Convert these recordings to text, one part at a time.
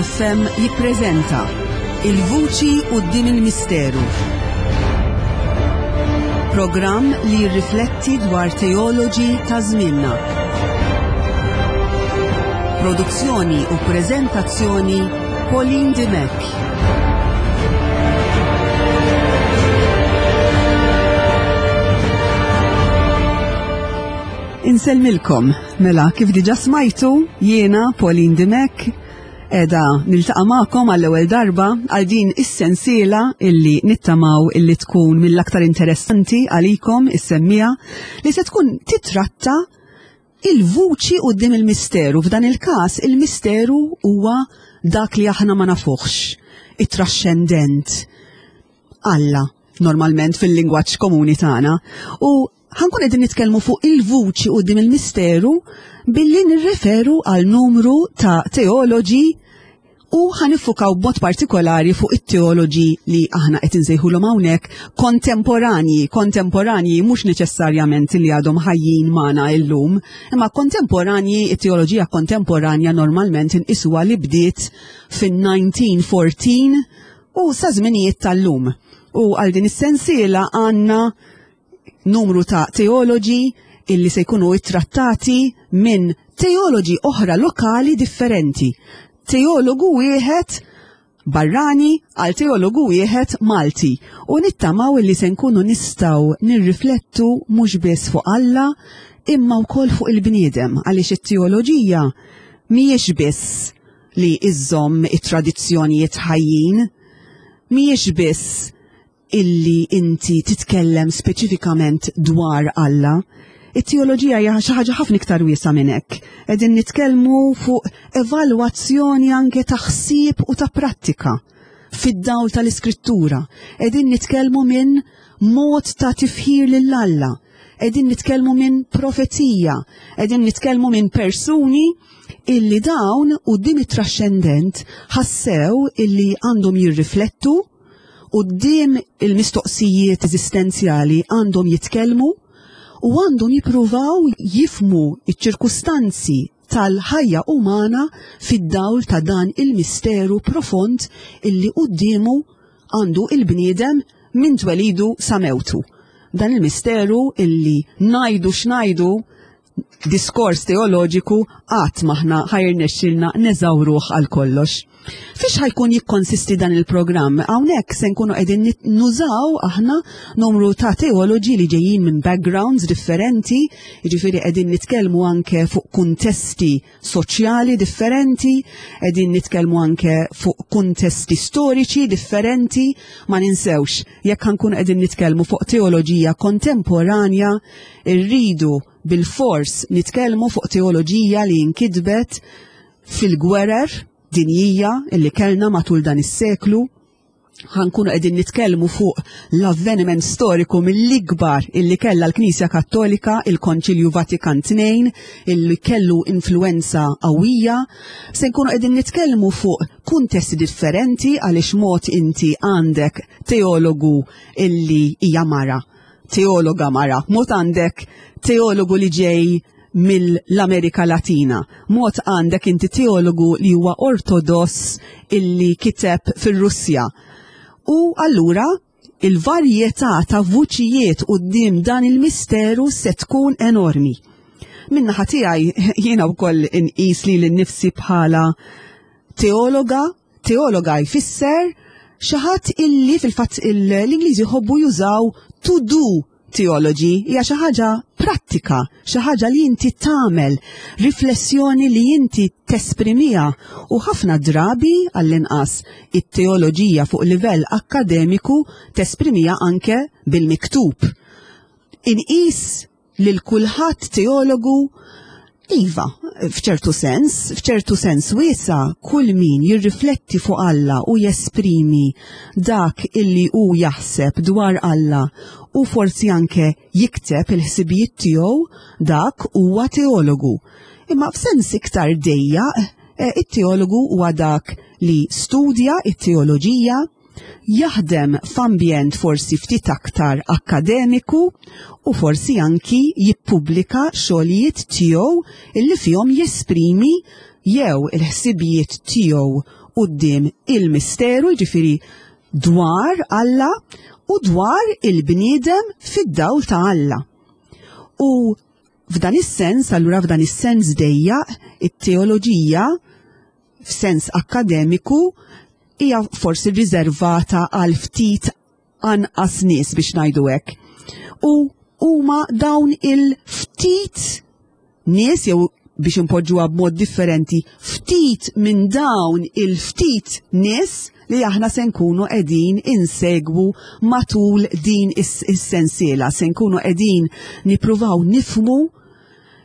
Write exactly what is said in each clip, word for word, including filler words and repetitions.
F M jippreżenta Il-Vuċi Quddiem il-Misteru. Programm li jirrifletti dwar teoloġi ta' żmienna. Produzzjoni u preżentazzjoni, Pauline Dimech. Insellmilkom, mela kif diġa smajtu, jiena Pauline Dimech, edha niltaqa' magħkom għall-ewwel darba għal din is-sensiela illi nittamaw illi tkun mill-aktar interessanti għalikom is-semmija, li se tkun titratta il-vuċi quddiem il-misteru. F'dan il-każ il-misteru huwa dak li aħna ma nafuħx, it-traxxendent, Alla, normalment fil-lingwaġġ komuni tagħna. U ħankun qegħdin nitkellmu fuq il-vuċi quddiem il-misteru billi nirreferu għal numru ta' teoloġi u ħanifukaw b'mod partikolari fuq it-teoloġi li aħna qed insejħulhom hawnhekk kontemporanji, kontemporanji mhux neċessarjament li għadhom ħajjin magħna illum, imma kontemporanji, it-teoloġija kontemporanja normalment inqisuha li bdiet fin-nineteen fourteen u sa żminijiet tal-lum. U għal din is-sensiela għandna numru ta' teoloġi illi se jkunu ittrattati minn teoloġi oħra lokali differenti. Teologu wieħed barrani għal teologu wieħed Malti. U nittamaw illi se nkunu nistgħu nirriflettu mhux biss fuq Alla imma wkoll fuq il-bniedem, għaliex it-teoloġija mhijiex biss li iżżomm it-tradizzjonijiet ħajjin, mhijiex biss illi inti titkellem speċifikament dwar Alla. It-teoloġija hija xi ħaġa ħafna iktar wiesgħa minn hekk. Qegħdin nitkellmu fuq evalwazzjoni anke ta' ħsieb u ta' prattika fid-dawl tal-Iskrittura. Qegħdin nitkellmu minn mod ta' tifħir lil Alla. Qegħdin nitkellmu minn profezija. Qegħdin nitkellmu minn persuni illi dawn quddiem it-traxxendent ħassew illi għandhom jirriflettu, quddiem il-mistoqsijiet eżistenzjali għandhom jitkellmu u għandhom jippruvaw jifmu iċ-ċirkustanzi tal-ħajja umana fid-dawl ta' dan il-misteru profond illi quddiemu għandu il-bniedem minn twelidu sa mewtu. Dan il-misteru illi ngħidu x'ngħidu diskors teoloġiku qatt m'aħna ħa jirnexxilna neżawruh għal kollox. Fiex ħajkun jikkonsisti dan il-programm? Hawnhekk se nkunu qegħdin nużaw aħna numru ta' teoloġi li ġejjin minn backgrounds differenti, jiġifieri qegħdin nitkellmu anke fuq kuntesti soċjali differenti, qegħdin nitkellmu anke fuq kuntesti storiċi differenti. Ma ninsewx, jekk ħankunu qegħdin nitkellmu fuq teoloġija kontemporanja, irridu bil-fors nitkellmu fuq teoloġija li nkitbet fil-gwerer dinjija illi kellna matul dan is-seklu. Ħankunu qegħdin nitkellmu fuq l-avveniment storiku mill-ikbar illi kellha l-Knisja Kattolika, il-Konċilju Vatikan tnejn, illi kellu influenza qawwija. Se nkunu qegħdin nitkellmu fuq kuntesti differenti għaliex mod inti għandek teologu illi hija mara, teologa mara, mod għandek teologu li ġej mill-Amerika Latina, mod għandek inti teologu li huwa ortodoss illi kiteb fir-Russja. U allura il-varjetà ta' vuċijiet quddiem dan il-misteru se tkun enormi. Min-naħa tiegħi jiena wkoll inqis li lil nifsi bħala teologa. Teologa jfisser xi ħadd illi fil-fatt l-Ingliżi jħobbu jużaw to do theology, hija xi ħaġa prattika, xi ħaġa li inti tagħmel, riflessjoni li inti tesprimiha, u ħafna drabi għall-inqas it-teoloġija fuq livell akkademiku tesprimiha anke bil-miktub. Inqis lil kulħadd teologu? Iva, f'ċertu sens, f'ċertu sens wiesa, kull min jirrifletti fuq Alla u jesprimi dak illi hu jaħseb dwar Alla u forsi anke jikteb il-ħsibijiet tiegħu, dak huwa teologu. Imma f'sens iktar dejjaq, eh, it-teologu huwa dak li studja it-teoloġija, jaħdem f'ambjent forsi ftit aktar akkademiku u forsi anki jippubblika xogħlijiet tiegħu illi fihom jesprimi jew il-ħsibijiet tiegħu quddiem il-misteru, jiġifieri dwar Alla u dwar il-bniedem fid-dawl ta' Alla. U f'dan is-sens, allura f'dan is-sens dejjaq, it-teoloġija f'sens akkademiku hija forsi riservata għal ftit anqas nies, biex ngħidu hekk. U huma dawn il-ftit nies, jew biex impoġġuha b'mod differenti, ftit minn dawn il-ftit nies li aħna se nkunu qegħdin insegwu matul din is-sensiela, se nkunu qegħdin nippruvaw nifhmu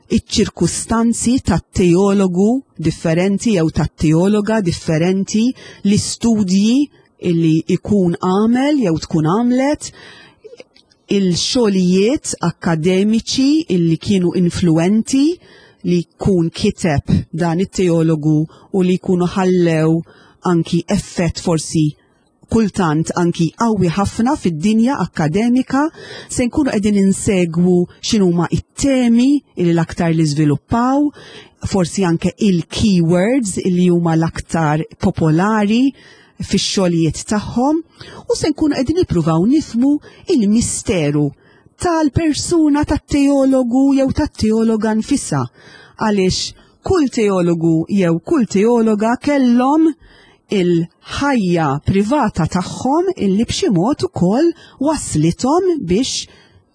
iċ-ċirkustanzi tat-teologu differenti jew tat-teologa differenti, l-istudji illi ikun għamel jew tkun għamlet, il-xogħlijiet akkademiċi illi kienu influenti li jkun kiteb dan it-teologu u li jkunu ħallew anki effett forsi kultant anki qawwi ħafna fid-dinja akkademika. Se nkunu qegħdin insegwu x'inhuma it-temi li l-aktar li żviluppaw, forsi anke il-keywords li huma l-aktar popolari fix-xogħlijiet tagħhom, u se nkunu qegħdin nippruvaw nifhmu il-misteru tal-persuna tat-teologu jew tat-teologa nfisha, għaliex kull teologu jew kull teologa kellhom il-ħajja privata tagħhom illi b'xi mod ukoll waslithom biex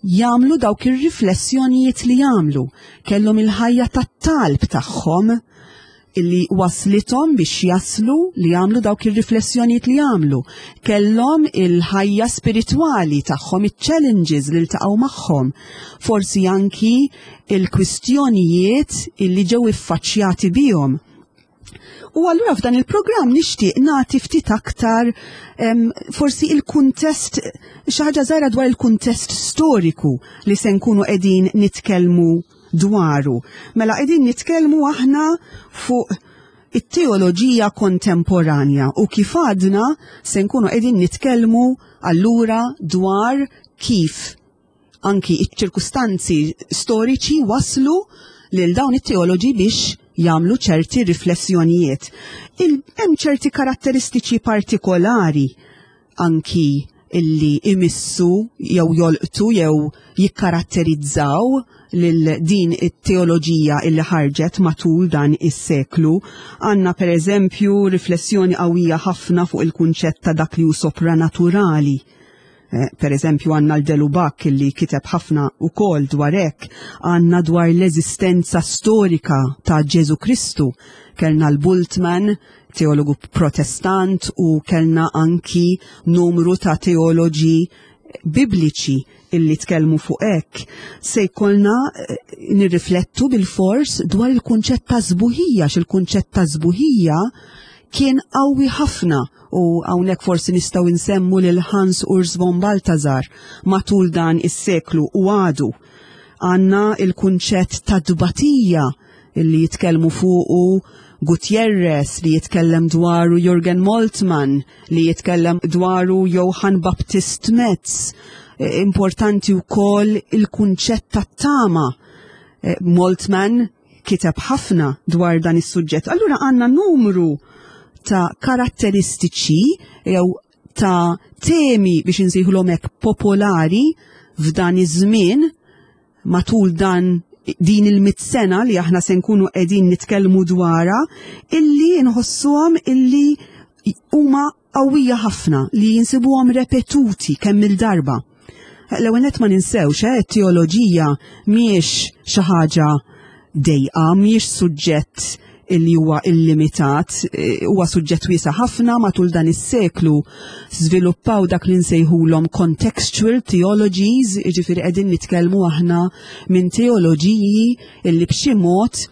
jagħmlu dawk ir-riflessjonijiet li jagħmlu. Kellhom il-ħajja tat-talb tagħhom illi waslithom biex jaslu li jagħmlu dawk ir-riflessjonijiet li jagħmlu. Kellhom il-ħajja spiritwali tagħhom, iċ-challenges li ltaqgħu magħhom. Forsi anki il-kwistjonijiet illi ġew iffaċċjati bihom. U allura f'dan il-programm nixtieq nagħti ftit aktar em, forsi il-kuntest, xi ħaġa żgħira dwar il-kuntest storiku li se nkunu qegħdin nitkellmu dwaru. Mela qegħdin nitkellmu aħna fuq it-teoloġija kontemporanja u kif għadna se nkunu qegħdin nitkellmu allura dwar kif anki iċ-ċirkustanzi storiċi waslu lil dawn it-teoloġi biex jagħmlu ċerti riflessjonijiet. Hemm ċerti karatteristiċi partikolari anki illi imissu jew jolqtu jew jikkaratterizzaw lil din it-teoloġija illi ħarġet matul dan is-seklu. Għandna per eżempju riflessjoni qawwija ħafna fuq il-kunċett ta' dak li hu sopranaturali. Eh, per eżempju għandna l-de Lubac illi kiteb ħafna ukoll dwar hekk, għandna dwar l-eżistenza storika ta' Ġesu Kristu, kellna l-Bultmann, teologu protestant, u kellna anki numru ta' teoloġi bibliċi illi tkellmu fuq hekk. Se jkollna eh, nirriflettu bil-fors dwar il-kunċett ta' sbuħija, x'il-kunċett ta' sbuħija kien qawwi ħafna, u hawnhekk forsi nistgħu nsemmu lil Hans Urs von Balthasar matul dan is-seklu u għadu. Għandna il-kunċett ta' dbatija illi jitkellmu fuqu Gutierrez, li jitkellem dwaru Jürgen Moltmann, li jitkellem dwaru Johann Baptist Metz. Importanti wkoll il-kunċett ta' tama. Moltmann kiteb ħafna dwar dan is-suġġett. Allura għandna numru ta' karatteristiċi jew ta' temi biex insejħulhom hekk popolari f'dan iż-żmien matul dan din il-mit sena li aħna se nkunu qegħdin nitkellmu dwarha, illi nħossuhom illi huma qawwija ħafna, li jinsibuhom repetuti kemm il-darba. L-ewwel nett ma ninsewx, eh, teoloġija mhijiex xi ħaġa dejqa, mhijiex suġġett illi huwa illimitat, eh, huwa suġġett wiesa' ħafna. Matul dan is-seklu żviluppaw dak li nsejħulhom contextual theologies, jiġifieri qegħdin nitkellmu aħna minn teoloġiji illi b'xi mod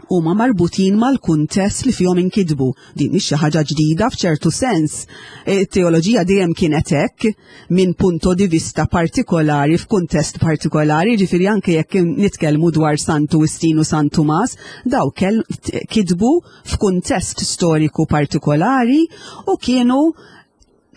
huma marbutin mal-kuntest li fihom inkitbu. Din mhix xi ħaġa ġdida f'ċertu sens. It-teoloġija dejjem kienet hekk, minn punto di vista partikolari f'kuntest partikolari, ġifieri anke jekk nitkellmu dwar Santu Wistin u San Tumas, daw kell kitbu f'kuntest storiku partikolari u kienu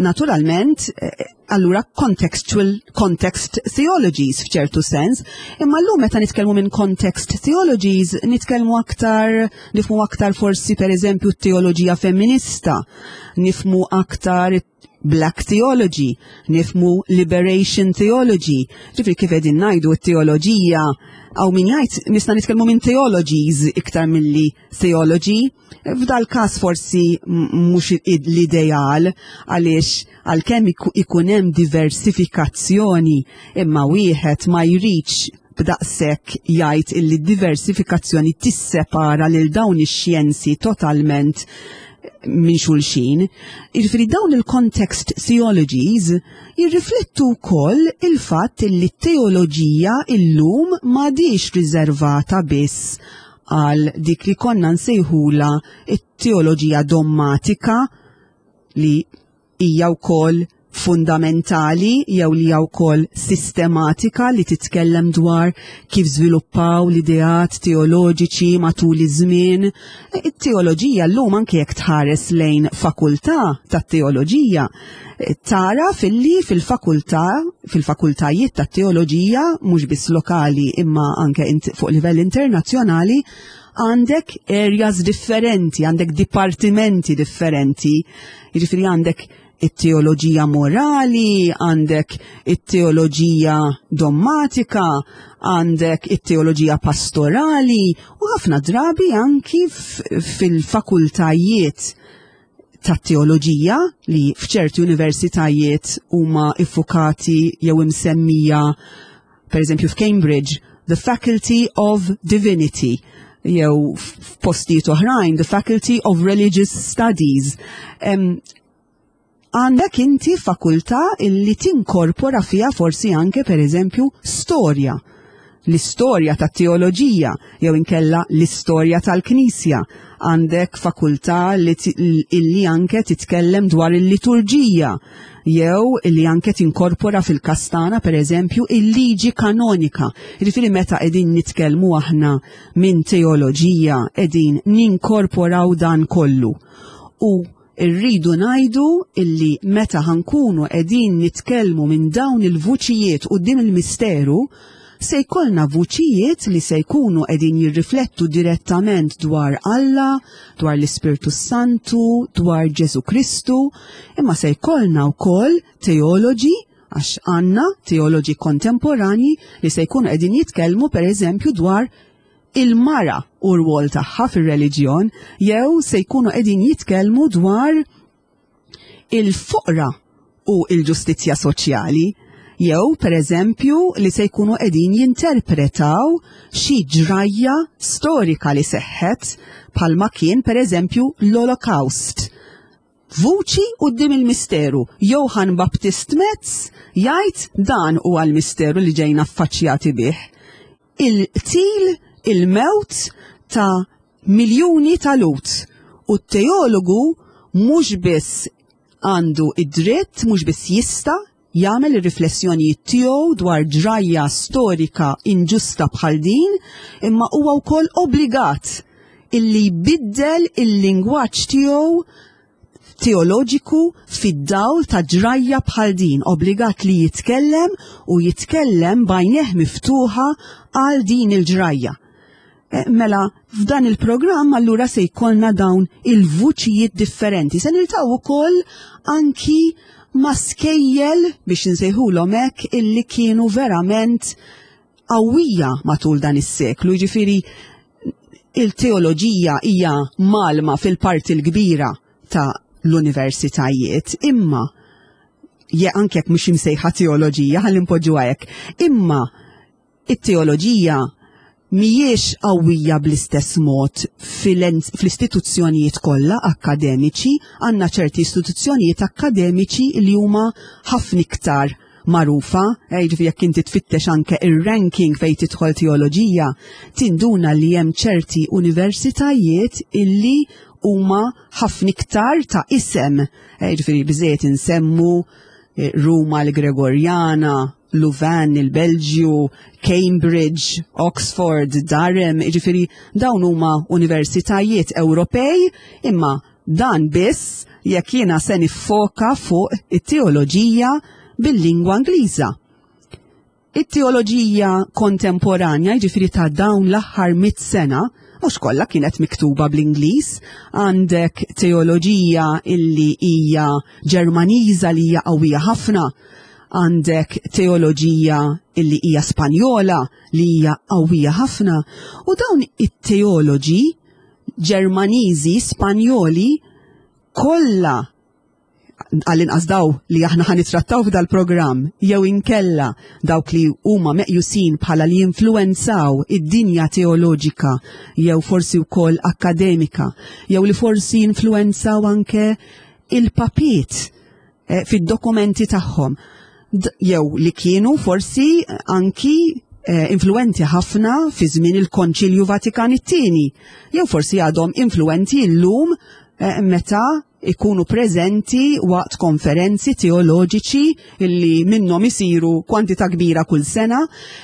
Naturalment, eh, allura contextual context theologies f'ċertu sens, imma llum meta nitkellmu minn context theologies, nitkellmu aktar, nifhmu aktar forsi, per eżempju, teoloġija femminista, nifhmu aktar Black theology, nifhmu liberation theology. Ġifieri, kif qegħdin ngħidu, t-teoloġija, hawn min jgħid nista' nitkellmu minn theologies iktar milli theology. F'dal każ forsi mhux l-ideal, għaliex għalkemm ikun hemm diversifikazzjoni, imma wieħed ma jridx b'daqshekk jgħid illi diversifikazzjoni tissepara lil dawn ix-xjenzi totalment minn xulxin. Jiġifieri, dawn il-context theologies jirriflettu wkoll il-fatt li t-teoloġija illum m'għadix riservata biss għal dik li konna nsejħula it-teoloġija dommatika, li hija wkoll fundamentali, jew li hija wkoll sistematika, li titkellem dwar kif żviluppaw l-ideat teoloġiċi matul iż-żmien. It-teoloġija llum, anke jekk tħares lejn fakultà tat-teoloġija, tara filli fil-fakultà fil-fakultajiet tat-teoloġija, mhux biss lokali imma anke fuq livell internazzjonali, għandek areas differenti, għandek dipartimenti differenti. Jiġifieri, għandek it-teoloġija morali, għandek it-teoloġija dommatika, għandek it-teoloġija pastorali u ħafna drabi anki fil-fakultajiet ta' teoloġija li f'ċerti universitajiet huma iffukati jew imsemmija, per eżempju f'Cambridge, the Faculty of Divinity, jew f'postijiet oħrajn, the Faculty of Religious Studies. Għandek inti fakultà illi tinkorpora fija forsi anke, per eżempju, storja. L-istorja tat teoloġija jew inkella l-istorja tal-Knisja. Għandek fakultà li illi anke titkellem dwar il-liturġija jew illi anke tinkorpora fil-kastana, per eżempju, il-liġi kanonika. Jiġifieri, meta qegħdin nitkellmu aħna minn teoloġija, qegħdin ninkorporaw dan kollu. U irridu ngħidu illi meta ħa nkunu qegħdin nitkellmu minn dawn il-vuċijiet quddiem il-misteru, se jkollna vuċijiet li se jkunu qegħdin jirriflettu direttament dwar Alla, dwar l-Ispirtu Santu, dwar Ġesu Kristu, imma se jkollna wkoll teoloġi, għax għandna teoloġi kontemporani li se jkunu qegħdin jitkellmu, per eżempju, dwar il-mara u r-rwol tagħha fir-reliġjon, jew se jkunu qegħdin jitkellmu dwar il-foqra u il-ġustizzja soċjali, jew, per eżempju, li se jkunu qegħdin jinterpretaw xi ġrajja storika li seħħet, bħalma kien, per eżempju, l-Holocaust. Vuċi quddiem il-misteru. Johann Baptist Metz jgħid dan huwa l-misteru li ġejna affaċċjati bih. Il-qtil, il-mewt ta' miljuni ta' Lhud. U t-teologu mhux biss għandu id-dritt, mhux biss jista' jagħmel ir-riflessjonijiet tiegħu dwar ġrajja storika inġusta bħal din, imma huwa wkoll obbligat illi jbiddel il-lingwaġġ tiegħu teoloġiku fid-dawl ta' ġrajja bħal din, obbligat li jitkellem u jitkellem b'għajnejh miftuħa għal din il-ġrajja. E, mela, f'dan il-programm allura se jkollna dawn il-vuċijiet differenti. Se niltaqgħu wkoll anki ma' skejjel, biex nsejħulhom hekk, illi kienu verament qawwija matul dan is-seklu. Jiġifieri, il-teoloġija hija mgħallma fil-parti l-kbira ta' l-universitajiet, imma je anke jekk mhux imsejħa teoloġija, ħalli npoġġuha hekk, imma it-teoloġija mhijiex qawwija bl-istess mod fl-istituzzjonijiet kollha akademiċi. Għandna ċerti istituzzjonijiet akkademiċi li huma ħafna iktar magħrufa, eh, jiġifieri jekk inti tfittex anke ir-ranking fejn tidħol teoloġija, tinduna li hemm ċerti universitajiet illi huma ħafna iktar ta' isem. Eh, jiġifieri biżejjed insemmu eh, Ruma l-Gregorjana, Louvain, il-Belġju, Cambridge, Oxford, Durham, jiġifieri dawn huma universitajiet Ewropej, imma Dan biss jekk jiena se niffoka fuq it-teoloġija bil-lingwa Ingliża. It-teoloġija kontemporanja, jiġifieri ta' dawn l-aħħar mit sena, mhux kollha kienet miktuba bl-Ingliż. Għandek teoloġija illi hija Ġermaniża li hija qawwija ħafna, għandek teoloġija illi hija Spanjola li hija qawwija ħafna, u dawn it-teoloġi Ġermaniżi, Spanjoli, kollha, għall-inqas daw li aħna ħa nittrattaw f'dal-programm, jew inkella dawk li huma meqjusin bħala li influenzaw id-dinja teoloġika jew forsi wkoll akademika, jew li forsi influenzaw anke il-papiet eh, fid-dokumenti tagħhom, jew li kienu forsi anki eh, influenti ħafna fi żmien il-Konċilju Vatikan it-tieni, jew forsi għadhom influenti llum eh, meta ikunu preżenti waqt konferenzi teoloġiċi illi minnhom isiru kwantità kbira kull sena.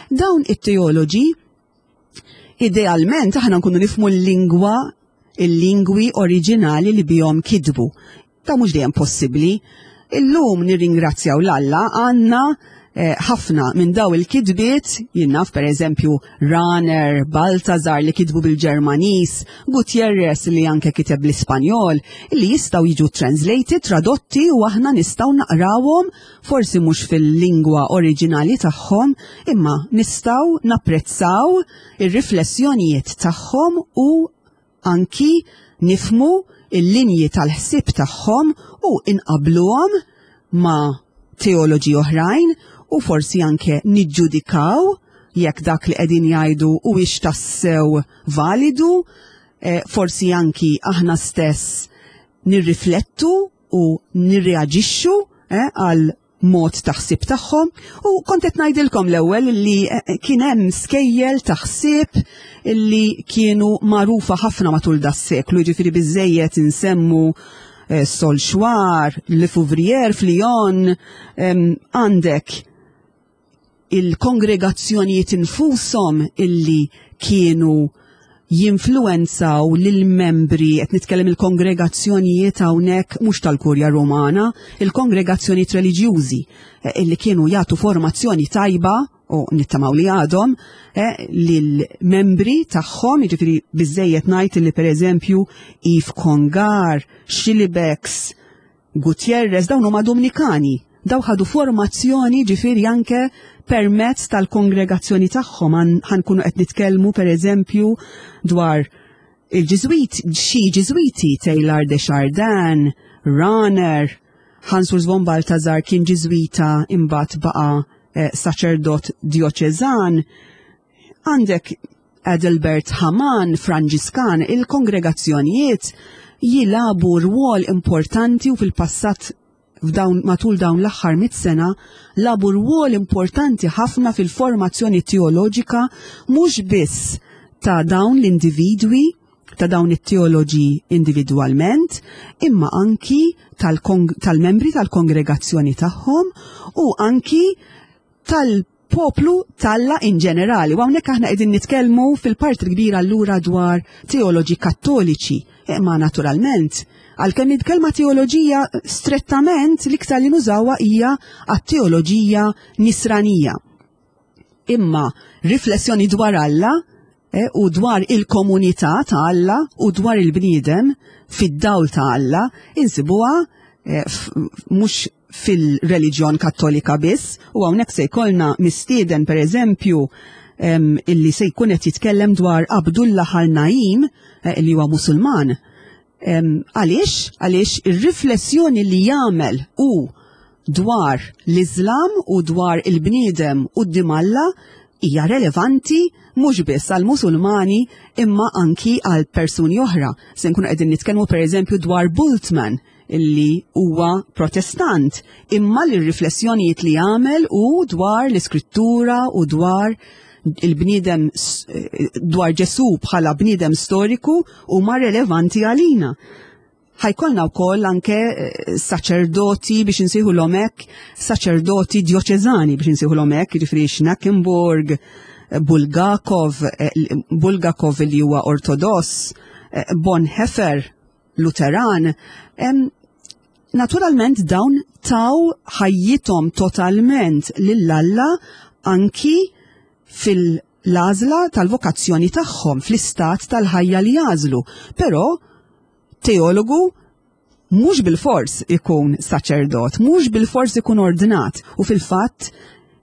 Dawn it-teoloġi, idealment aħna nkunu nifhmu l-lingwa, il-lingwi oriġinali li bihom kitbu. Ta' mhux dejjem possibbli. Illum nirringrazzjaw 'l Alla għandna ħafna minn daw il-kitbiet, jien naf, per eżempju, Rahner, Balthasar li kitbu bil-Ġermanis, Gutierrez li anke kiteb bl-Ispanjol, li jistgħu jiġu translated, tradotti, u aħna nistgħu naqrawhom, forsi mhux fil-lingwa oriġinali tagħhom, imma nistgħu napprezzaw ir-riflessjonijiet tagħhom u anki nifhmu il-linji tal-ħsieb tagħhom u inqabluhom ma' teoloġi oħrajn u forsi anke niġġudikaw jekk dak li qegħdin jgħidu huwiex tassew validu, eh, forsi anki aħna stess nirriflettu u nirreaġixxu eh, għal mod taħsib tagħhom. U kont qed ngħidilkom l-ewwel li eh, kien hemm skejjel taħsib illi kienu magħrufa ħafna matul das-seklu, jiġifieri biżejjed insemmu eh, Saulchoir, Le Fouvrier f'Lyon, għandek il-kongregazzjonijiet infushom illi kienu jinfluenzaw lil-membri, qed nitkellem il-kongregazzjonijiet hawnhekk mhux tal-Kurja Romana, il-kongregazzjonijiet reliġjużi eh, illi kienu jagħtu formazzjoni tajba u nittamaw li għadhom eh, lil-membri tagħhom, jiġifieri biżejjed ngħid li, pereżempju, Yves Congar, Schillebeeckx, Gutierrez, dawn huma Dominikani. Daw ħadu formazzjoni ġifieri anke permezz tal-kongregazzjoni tagħhom. Ħa nkunu qed nitkellmu, pereżempju, dwar il-Ġiżwit, xi Ġiżwiti, Teilhard de Chardin, Rahner, Hans Urs von Balthasar kien Ġiżwita, imbagħad baqa' eh, saċerdot dioċeżan. Għandek Adelbert Hamann, Franġiskan. Il-kongregazzjonijiet jilagħbu rwol importanti u fil-passat, f'dawn matul dawn l-aħħar mit sena, lagħbu rwol importanti ħafna fil-formazzjoni teoloġika mhux biss ta' dawn l-individwi, ta' dawn it-teoloġi individwalment, imma anki tal-membri tal-kongregazzjoni tagħhom u anki tal-poplu t'Alla in ġenerali. U hawnhekk aħna qegħdin nitkellmu fil-parti kbira allura dwar teoloġi kattoliċi, imma naturalment, għalkemm il-kelma teoloġija strettament l-iktar li nużawha hija għat-teoloġija nisranija. Imma riflessjoni dwar Alla eh, u dwar il-komunità ta' Alla u dwar il-bniedem fid-dawl ta' Alla insibuha eh, mhux fil-reliġjon kattolika biss, u hawnhekk se jkollna mistieden, pereżempju, illi se jkun qed jitkellem dwar Abdullah al-Naim eh, li huwa Musulman. Għaliex? Għaliex ir-riflessjoni li jagħmel u dwar l-Islam u dwar il-bniedem quddiem Alla hija relevanti mhux biss għal Musulmani imma anki għal persuni oħra. Se nkunu qegħdin nitkellmu, pereżempju, dwar Bultmann illi huwa Protestant, imma l-riflessjonijiet li jagħmel u dwar l-iskrittura u dwar il-bniedem, dwar Ġesu bħala bniedem storiku, huma relevanti għalina. Ħa jkollna wkoll anke eh, saċerdoti, biex insejħulhom hekk, saċerdoti dioċeżani, biex insejħulhom hekk, jiġifieri Schnackenburg, Bulgakov, eh, Bulgakov li huwa Ortodoss, eh, Bonhoeffer Luteran. Naturalment dawn taw ħajjithom totalment lil Alla anki fil-għażla tal-vokazzjoni tagħhom, fl-istat tal-ħajja li jagħżlu. Però teologu mhux bil-fors ikun saċerdot, mhux bil-fors ikun ordnat, u fil-fatt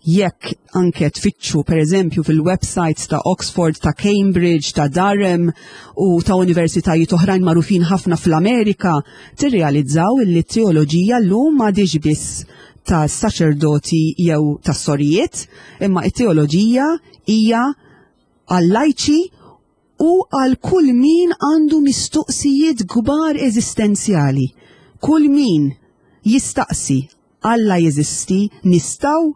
jekk anke tfittxu per eżempju fil-websites ta' Oxford, ta' Cambridge, ta' Durham u ta' universitajiet oħrajn magħrufin ħafna fl-Amerika, tirrealizzaw illi t-teoloġija llum m'għadhiex biss ta' saċerdoti jew ta' sorijiet, imma t-teoloġija hija għal-lajċi u għal kull min għandu mistoqsijiet kbar eżistenzjali. Kull min jistaqsi: Alla jeżisti? Nistgħu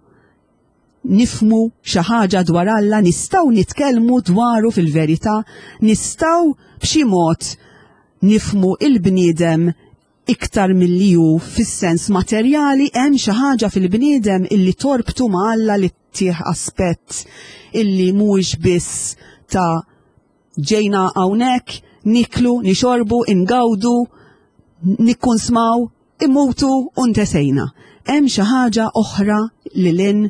nifhmu xi ħaġa dwar Alla? Nistgħu nitkellmu dwaru fil-verità? Nistgħu b'xi mod nifhmu il-bniedem iktar milli hu fis-sens materjali? Hemm xi ħaġa fil-bniedem illi torbtu ma' Alla, li ttih aspett illi mhuwiex biss ta' ġejna hawnhekk, niklu, nixorbu, ingawdu, nikkunsmaw, immutu u ntesejna? Hemm xi ħaġa oħra lil hinn?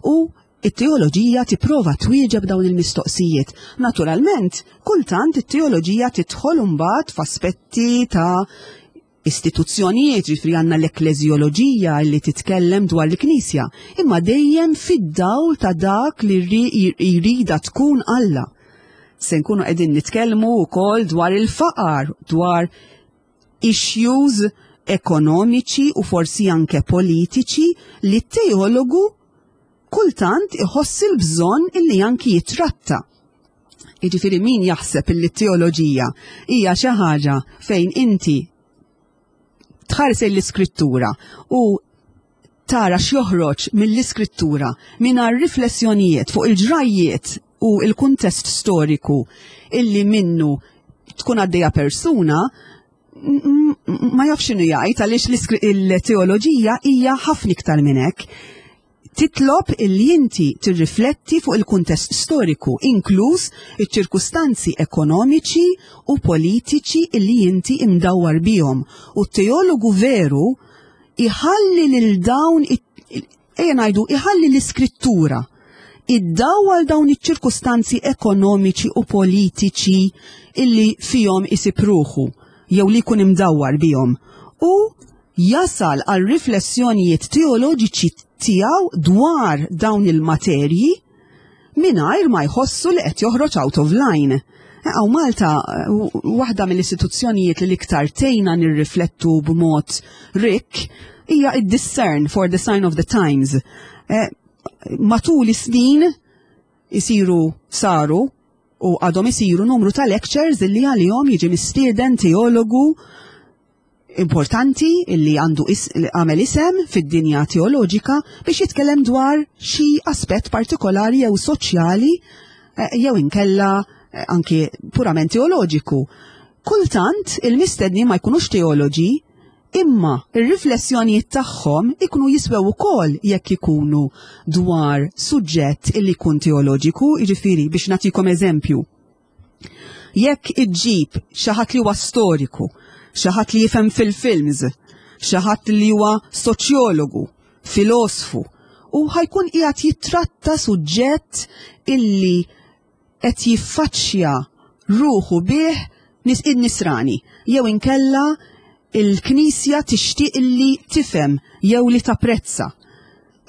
U it-teoloġija tipprova twieġeb dawn il-mistoqsijiet. Naturalment, kultant it-teoloġija tidħol imbagħad f'aspetti ta' istituzzjonijiet, ġifieri għandna l-ekleżjoloġija li titkellem dwar l-Knisja, imma dejjem fid-dawl ta' dak li jrida tkun Alla. Se nkunu qegħdin nitkellmu wkoll dwar il-faqar, dwar issues ekonomiċi u forsi anke politiċi li t-teologu kultant iħoss il-bżonn illi anki jitratta. Jiġifieri min jaħseb illi t-teoloġija hija xi ħaġa fejn inti tħares l-iskrittura u tara x'joħroġ mill-iskrittura mingħajr riflessjonijiet fuq il-ġrajjiet u il-kuntest storiku illi minnu tkun għaddejja persuna, ma jafx x'inhu jgħid, għaliex il-teoloġija hija ħafna iktar minn hekk. Titlob illi inti tirrifletti fuq il-kuntest storiku, inkluż iċ-ċirkustanzi ekonomiċi u politiċi illi inti imdawwar bihom. U t-teologu veru iħalli lil dawn, ejja ngħidu, iħalli l-iskrittura iddawwal dawn iċ-ċirkustanzi ekonomiċi u politiċi illi fihom isib ruħu jew li jkun imdawwar bihom u jasal għal riflessjonijiet teoloġiċi tiegħu dwar dawn il-materji mingħajr ma jħossu li qed joħroġ out of line. Hawn Malta, waħda mill-istituzzjonijiet li l-iktar tgħinna nirriflettu b'mod rikk hija id-Discern for the Sign of the Times. Eh, matul is-snin isiru, saru u għadhom isiru numru ta' lectures illi għalihom jiġi mistieden teologu importanti illi għandu għamel isem fid-dinja teoloġika biex jitkellem dwar xi aspett partikolari jew soċjali eh, jew inkella eh, anki purament teoloġiku. Kultant il-mistedni ma jkunux teoloġi, imma ir-riflessjonijiet tagħhom ikunu jiswew ukoll jekk ikunu dwar suġġett illi jkun teoloġiku. Jiġifieri, biex nagħtikom eżempju. Jekk iġġib xi ħadd li huwa storiku, xi ħadd li jifhem fil-films, xi ħadd li huwa soċjologu, filosfu, u ħa jkun qiegħed jitratta suġġett illi qed jiffaċċja ruħu bih nis in-nisrani jew inkella il-Knisja tixtieq illi tifhem jew li tapprezza.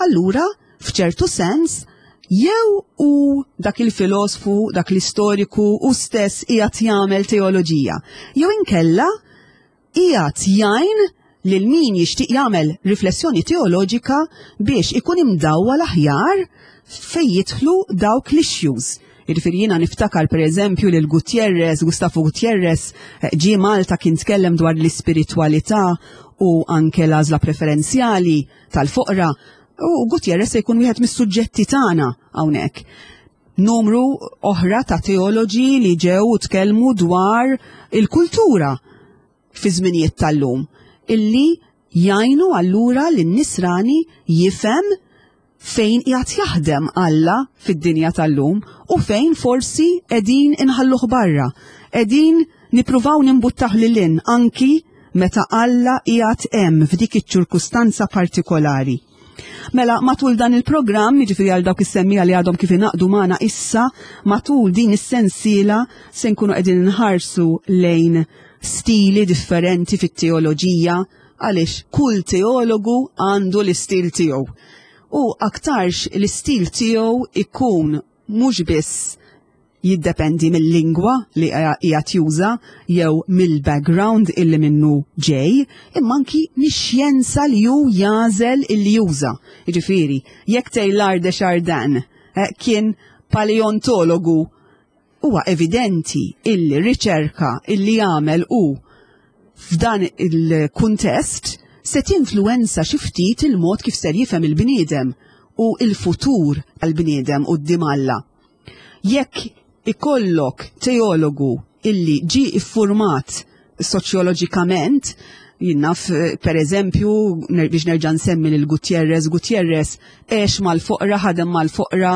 Allura, f'ċertu sens, jew u dak il-filosfu, dak l-istoriku u stess qiegħed jagħmel teoloġija, jew inkella qiegħed jgħin lil min jixtieq jagħmel riflessjoni teoloġika biex ikun imdawwa l-aħjar fejn jidħlu dawk l-issues. Jiġifieri jiena niftakar per eżempju lil Gutierrez, Gustavo Gutierrez, eh, ġie Malta, kien tkellem dwar l-ispiritualità u anke l-għażla preferenzjali tal-foqra. U Gutierrez se jkun wieħed mis-suġġetti tagħna hawnhekk. Numru oħra ta' teoloġi li ġew u tkellmu dwar il-kultura fi żminijiet tal-lum illi jgħinu allura lin-nisrani jifhem fejn qiegħed jaħdem Alla fid-dinja tal-lum u fejn forsi qegħdin inħalluh barra, qegħdin Nippruvaw nimbuttah lil hinn anki meta Alla qiegħed hemm f'dik iċ-ċirkustanza partikolari. Mela, matul dan il-programm, jiġifieri għal dawk is-semmiegħa li għadhom kif ingħaqdu magħna issa, matul din is-sensiela se nkunu qegħdin nħarsu lejn stili differenti fit-teoloġija, għaliex kull teologu għandu l-istil tiegħu. U aktarx l-istil tiegħu ikun mhux biss jiddependi mill-lingwa li qiegħed juża jew mill-background illi minnu ġej, imma anki mix-xjenza li hu jagħżel illi juża. Jiġifieri, jekk Teilhard de Chardin eh, kien paleontologu, huwa evidenti illi riċerka illi jagħmel hu f'dan il-kuntest se tinfluwenza xi ftit il-mod kif ser jifhem il-bniedem u il-futur għal-bniedem quddiem Alla. Jekk ikollok teologu illi ġi iffurmat soċjoloġikament, jien naf per eżempju, biex nerġa' nsemmi lil Gutierrez, Gutierrez għex mal-foqra, ħadem mal-foqra,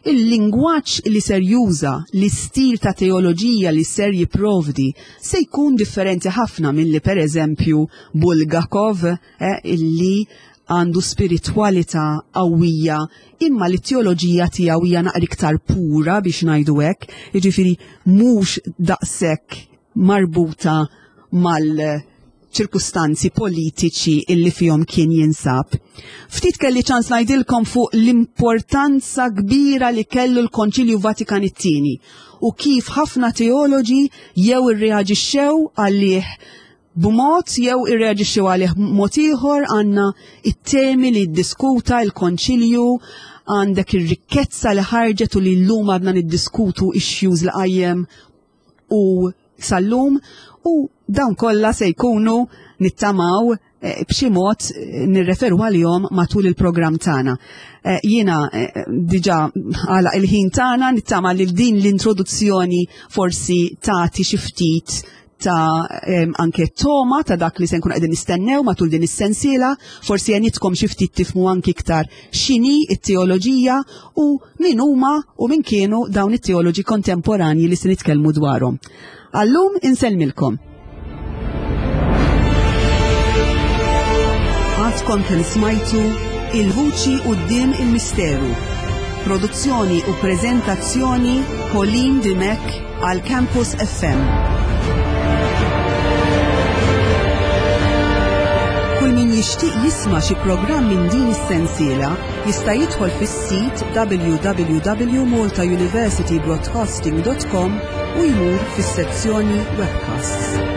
il-lingwaġġ li ser juża, l-istil ta' teoloġija li ser jipprovdi, se jkun differenti ħafna milli per eżempju Bulgakov, eh, illi għandu spiritwalità qawwija imma li teoloġija tiegħu hija naqra iktar pura biex ngħidu hekk, jiġifieri mhux daqshekk marbuta mal-ċirkustanzi politiċi illi fihom kien jinsab. Ftit kelli ċans ngħidilkom fuq l-importanza kbira li kellu l-Konċilju Vatikan it-tieni u kif ħafna teoloġi jew irreaġixxew għalih b'mod jew irreaġixxew għalih b'mod ieħor. Għandna it-temi li ddiskuta l-Konċilju, għandek ir-rikkezza li ħarġet u li llum għadna niddiskutu issues li qajjem u sal-lum, u dawn kollha se jkunu nittamaw eh, b'xi mod eh, nirreferu għalihom matul il-programm tagħna. Eh, jiena diġà għala il-ħin tagħna, nittama li din l-introduzzjoni forsi tagħti xi ftit ta' anke toma ta' dak li se nkun qegħdin nistennew matul din is-sensiela, forsi għenitkom xi ftit tifhmu anki iktar x'inhi t-teoloġija u min huma u min kienu dawn it-teoloġi kontemporanji li se nitkellmu dwarhom. Għallum insellmilkom. Għadkom kemm smajtu Il-Vuċi Quddiem il-Misteru. Produzzjoni u preżentazzjoni Pauline Dimech għal Campus F M. Kull min jixtieq jisma' xi programm minn din is-sensiela jista' jidħol fis-sit w w w punt maltauniversitybroadcasting punt com u jmur fis-sezzjoni webcasts.